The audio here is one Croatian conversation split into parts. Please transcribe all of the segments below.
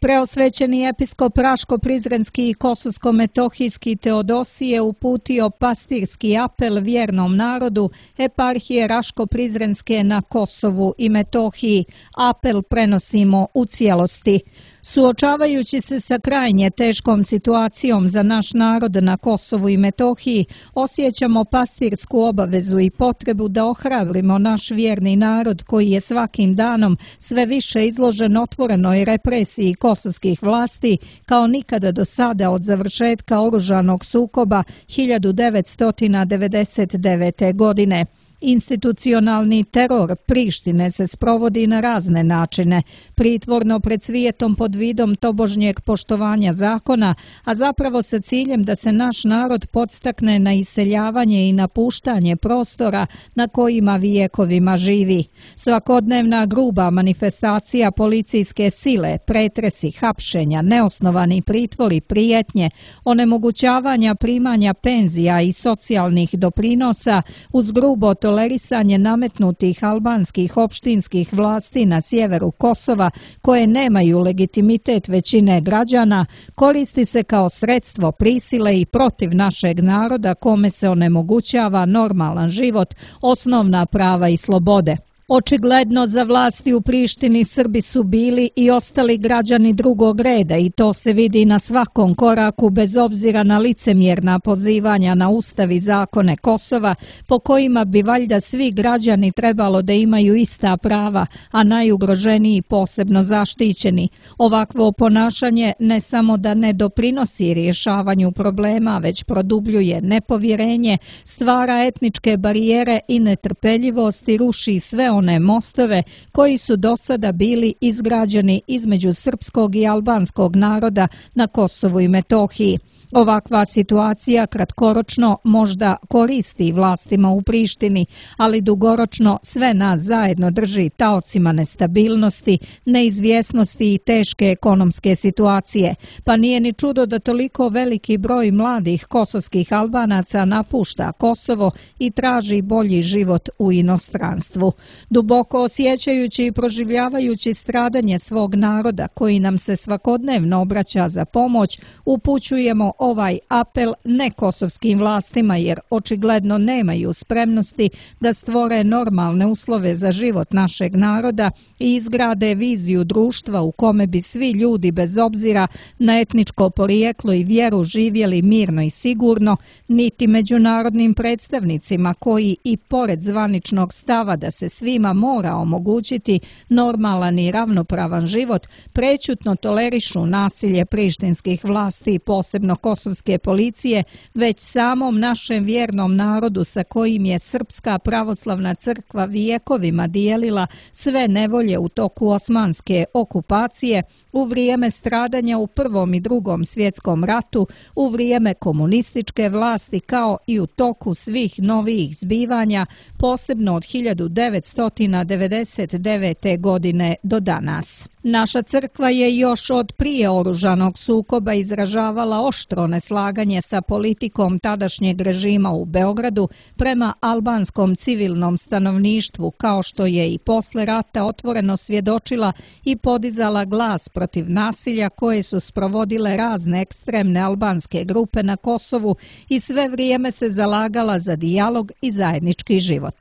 Preosvećeni episkop Raško-Prizrenski i Kosovsko-Metohijski Teodosije uputio pastirski apel vjernom narodu eparhije Raško-Prizrenske na Kosovu i Metohiji. Apel prenosimo u cijelosti. Suočavajući se sa krajnje teškom situacijom za naš narod na Kosovu i Metohiji, osjećamo pastirsku obavezu i potrebu da ohrabrimo naš vjerni narod koji je svakim danom sve više izložen otvorenoj represiji kosovskih vlasti kao nikada do sada od završetka oružanog sukoba 1999. godine. Institucionalni teror Prištine se sprovodi na razne načine, pritvorno pred svijetom pod vidom tobožnjeg poštovanja zakona, a zapravo sa ciljem da se naš narod podstakne na iseljavanje i napuštanje prostora na kojima vijekovima živi. Svakodnevna gruba manifestacija policijske sile, pretresi, hapšenja, neosnovani pritvori, prijetnje, onemogućavanja primanja penzija i socijalnih doprinosa uz grubo tolerisanje nametnutih albanskih opštinskih vlasti na sjeveru Kosova koje nemaju legitimitet većine građana, koristi se kao sredstvo prisile i protiv našeg naroda kome se onemogućava normalan život, osnovna prava i slobode. Očigledno za vlasti u Prištini Srbi su bili i ostali građani drugog reda i to se vidi na svakom koraku bez obzira na licemjerna pozivanja na ustav i zakone Kosova po kojima bi valjda svi građani trebalo da imaju ista prava, a najugroženiji posebno zaštićeni. Ovakvo ponašanje ne samo da ne doprinosi rješavanju problema, već produbljuje nepovjerenje, stvara etničke barijere i netrpeljivost i ruši sve one mostove koji su do sada bili izgrađeni između srpskog i albanskog naroda na Kosovu i Metohiji. Ovakva situacija kratkoročno možda koristi vlastima u Prištini, ali dugoročno sve nas zajedno drži taocima nestabilnosti, neizvjesnosti i teške ekonomske situacije. Pa nije ni čudo da toliko veliki broj mladih kosovskih Albanaca napušta Kosovo i traži bolji život u inostranstvu. Duboko osjećajući i proživljavajući stradanje svog naroda koji nam se svakodnevno obraća za pomoć, upućujemo ovaj apel nekosovskim vlastima jer očigledno nemaju spremnosti da stvore normalne uslove za život našeg naroda i izgrade viziju društva u kome bi svi ljudi bez obzira na etničko porijeklo i vjeru živjeli mirno i sigurno, niti međunarodnim predstavnicima koji i pored zvaničnog stava da se svima mora omogućiti normalan i ravnopravan život, prećutno tolerišu nasilje prištinskih vlasti i posebno kosovske policije, već samom našem vjernom narodu sa kojim je Srpska pravoslavna crkva vijekovima dijelila sve nevolje u toku osmanske okupacije, u vrijeme stradanja u Prvom i Drugom svjetskom ratu, u vrijeme komunističke vlasti kao i u toku svih novijih zbivanja, posebno od 1999. godine do danas. Naša crkva je još od prije oružanog sukoba izražavala oštro neslaganje sa politikom tadašnjeg režima u Beogradu prema albanskom civilnom stanovništvu, kao što je i posle rata otvoreno svjedočila i podizala glas protiv nasilja koje su sprovodile razne ekstremne albanske grupe na Kosovu i sve vrijeme se zalagala za dijalog i zajednički život.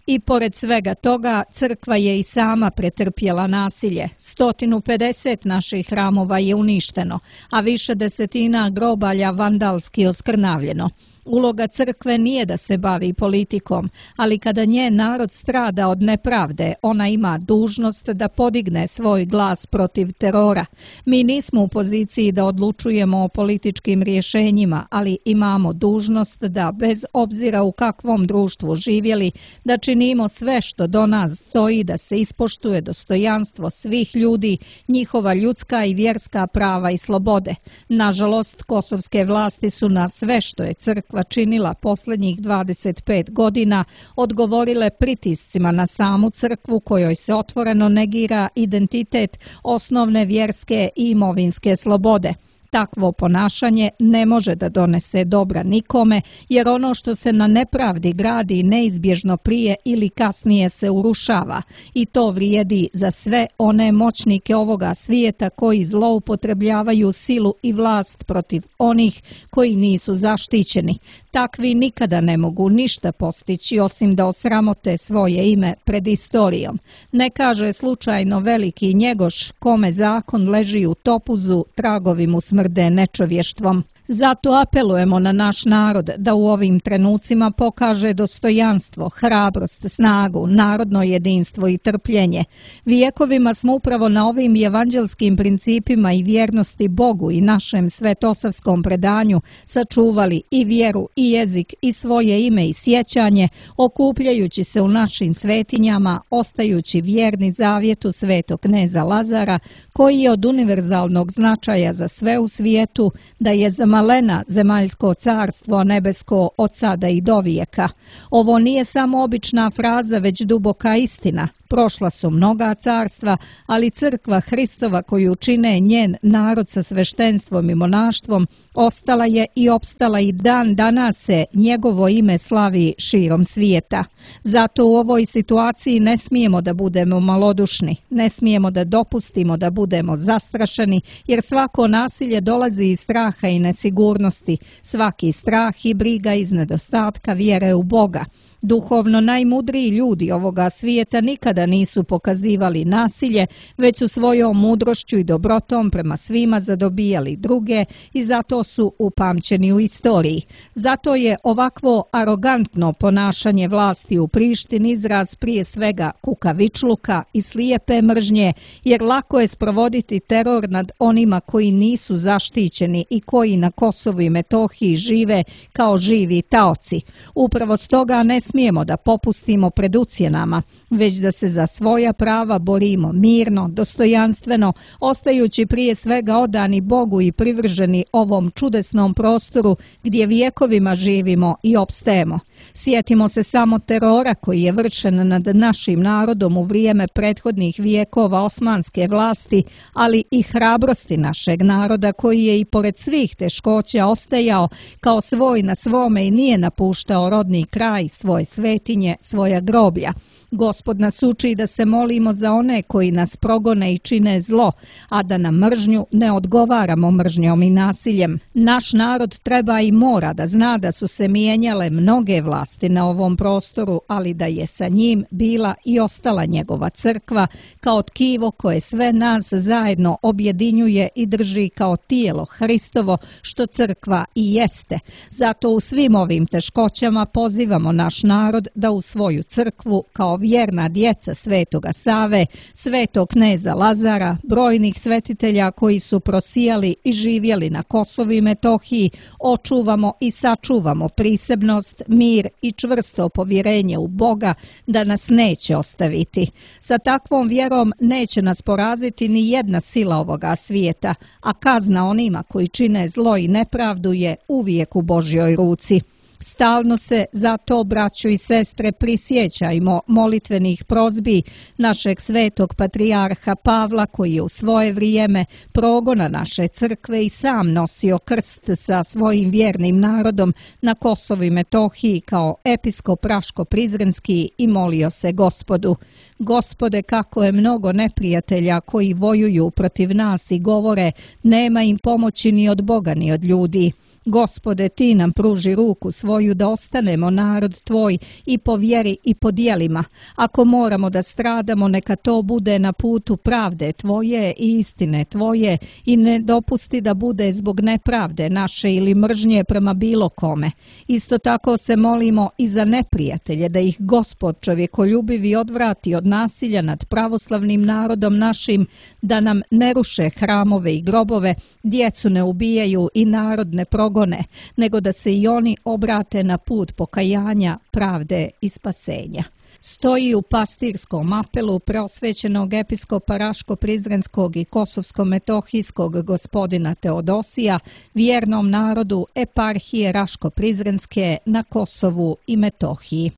I pored svega toga, crkva je i sama pretrpjela nasilje. 150 naših hramova je uništeno, a više desetina grobalja vandalski oskrnavljeno. Uloga crkve nije da se bavi politikom, ali kada njen narod strada od nepravde, ona ima dužnost da podigne svoj glas protiv terora. Mi nismo u poziciji da odlučujemo o političkim rješenjima, ali imamo dužnost da, bez obzira u kakvom društvu živjeli, da činimo sve što do nas stoji da se ispoštuje dostojanstvo svih ljudi, njihova ljudska i vjerska prava i slobode. Nažalost, kosovske vlasti su na sve što je crkva činila posljednjih 25 godina odgovorile pritiscima na samu crkvu kojoj se otvoreno negira identitet, osnovne vjerske i imovinske slobode. Takvo ponašanje ne može da donese dobra nikome, jer ono što se na nepravdi gradi neizbježno prije ili kasnije se urušava i to vrijedi za sve one moćnike ovoga svijeta koji zloupotrebljavaju silu i vlast protiv onih koji nisu zaštićeni. Takvi nikada ne mogu ništa postići osim da osramote svoje ime pred istorijom. Ne kaže slučajno veliki Njegoš kome zakon leži u topuzu, tragovi mu smrde nečovještvom. Zato apelujemo na naš narod da u ovim trenucima pokaže dostojanstvo, hrabrost, snagu, narodno jedinstvo i trpljenje. Vijekovima smo upravo na ovim evanđelskim principima i vjernosti Bogu i našem svetosavskom predanju sačuvali i vjeru i jezik i svoje ime i sjećanje, okupljajući se u našim svetinjama, ostajući vjerni zavjetu svetog kneza Lazara, koji je od univerzalnog značaja za sve u svijetu, da je zamalena zemaljsko carstvo nebesko od sada i do vijeka. Ovo nije samo obična fraza, već duboka istina. Prošla su mnoga carstva, ali crkva Hristova koju čine njen narod sa sveštenstvom i monaštvom ostala je i opstala i dan danas se njegovo ime slavi širom svijeta. Zato u ovoj situaciji ne smijemo da budemo malodušni, ne smijemo da dopustimo da budemo zastrašeni, jer svako nasilje dolazi iz straha i nesigurnosti, svaki strah i briga iz nedostatka vjere u Boga. Duhovno najmudriji ljudi ovoga svijeta nikada nisu pokazivali nasilje, već su svojom mudrošću i dobrotom prema svima zadobijali druge i zato su upamćeni u istoriji. Zato je ovakvo arogantno ponašanje vlasti u Prištini izraz prije svega kukavičluka i slijepe mržnje, jer lako je sprovoditi teror nad onima koji nisu zaštićeni i koji na Kosovu i Metohiji žive kao živi taoci. Upravo stoga ne smijemo da popustimo pred ucjenama, već da se za svoja prava borimo mirno, dostojanstveno, ostajući prije svega odani Bogu i privrženi ovom čudesnom prostoru gdje vijekovima živimo i opstajemo. Sjetimo se samo terora koji je vršen nad našim narodom u vrijeme prethodnih vijekova osmanske vlasti, ali i hrabrosti našeg naroda koji je i pored svih teškoća ostajao kao svoj na svome i nije napuštao rodni kraj, svoje svetinje, svoja groblja. Gospod nas uči da se molimo za one koji nas progone i čine zlo, a da na mržnju ne odgovaramo mržnjom i nasiljem. Naš narod treba i mora da zna da su se mijenjale mnoge vlasti na ovom prostoru, ali da je sa njim bila i ostala njegova crkva kao tkivo koje sve nas zajedno objedinjuje i drži kao tijelo Hristovo, što crkva i jeste. Zato u svim ovim teškoćama pozivamo naš narod da u svoju crkvu kao vjerna djeca Svetoga Save, svetog kneza Lazara, brojnih svetitelja koji su prosijali i živjeli na Kosovu i Metohiji, očuvamo i sačuvamo prisebnost, mir i čvrsto povjerenje u Boga da nas neće ostaviti. Sa takvom vjerom neće nas poraziti ni jedna sila ovoga svijeta, a kazna onima koji čine zlo i nepravdu je uvijek u Božjoj ruci. Stalno se zato, braćo i sestre, prisjećajmo molitvenih prozbi našeg svetog patrijarha Pavla, koji je u svoje vrijeme progona naše crkve i sam nosio krst sa svojim vjernim narodom na Kosovu i Metohiji kao episkop Raško-Prizrenski i molio se Gospodu: Gospode, kako je mnogo neprijatelja koji vojuju protiv nas i govore nema im pomoći ni od Boga ni od ljudi. Gospode, ti nam pruži ruku svoju da ostanemo narod tvoj i po vjeri i po djelima. Ako moramo da stradamo, neka to bude na putu pravde tvoje i istine tvoje i ne dopusti da bude zbog nepravde naše ili mržnje prema bilo kome. Isto tako se molimo i za neprijatelje, da ih Gospod čovjekoljubivi odvrati od nasilja nad pravoslavnim narodom našim, da nam ne ruše hramove i grobove, djecu ne ubijaju i narod ne progone, nego da se i oni obrate na put pokajanja, pravde i spasenja. Stoji u pastirskom apelu preosvećenog episkopa Raško-Prizrenskog i Kosovsko-Metohijskog gospodina Teodosija vjernom narodu eparhije Raško-Prizrenske na Kosovu i Metohiji.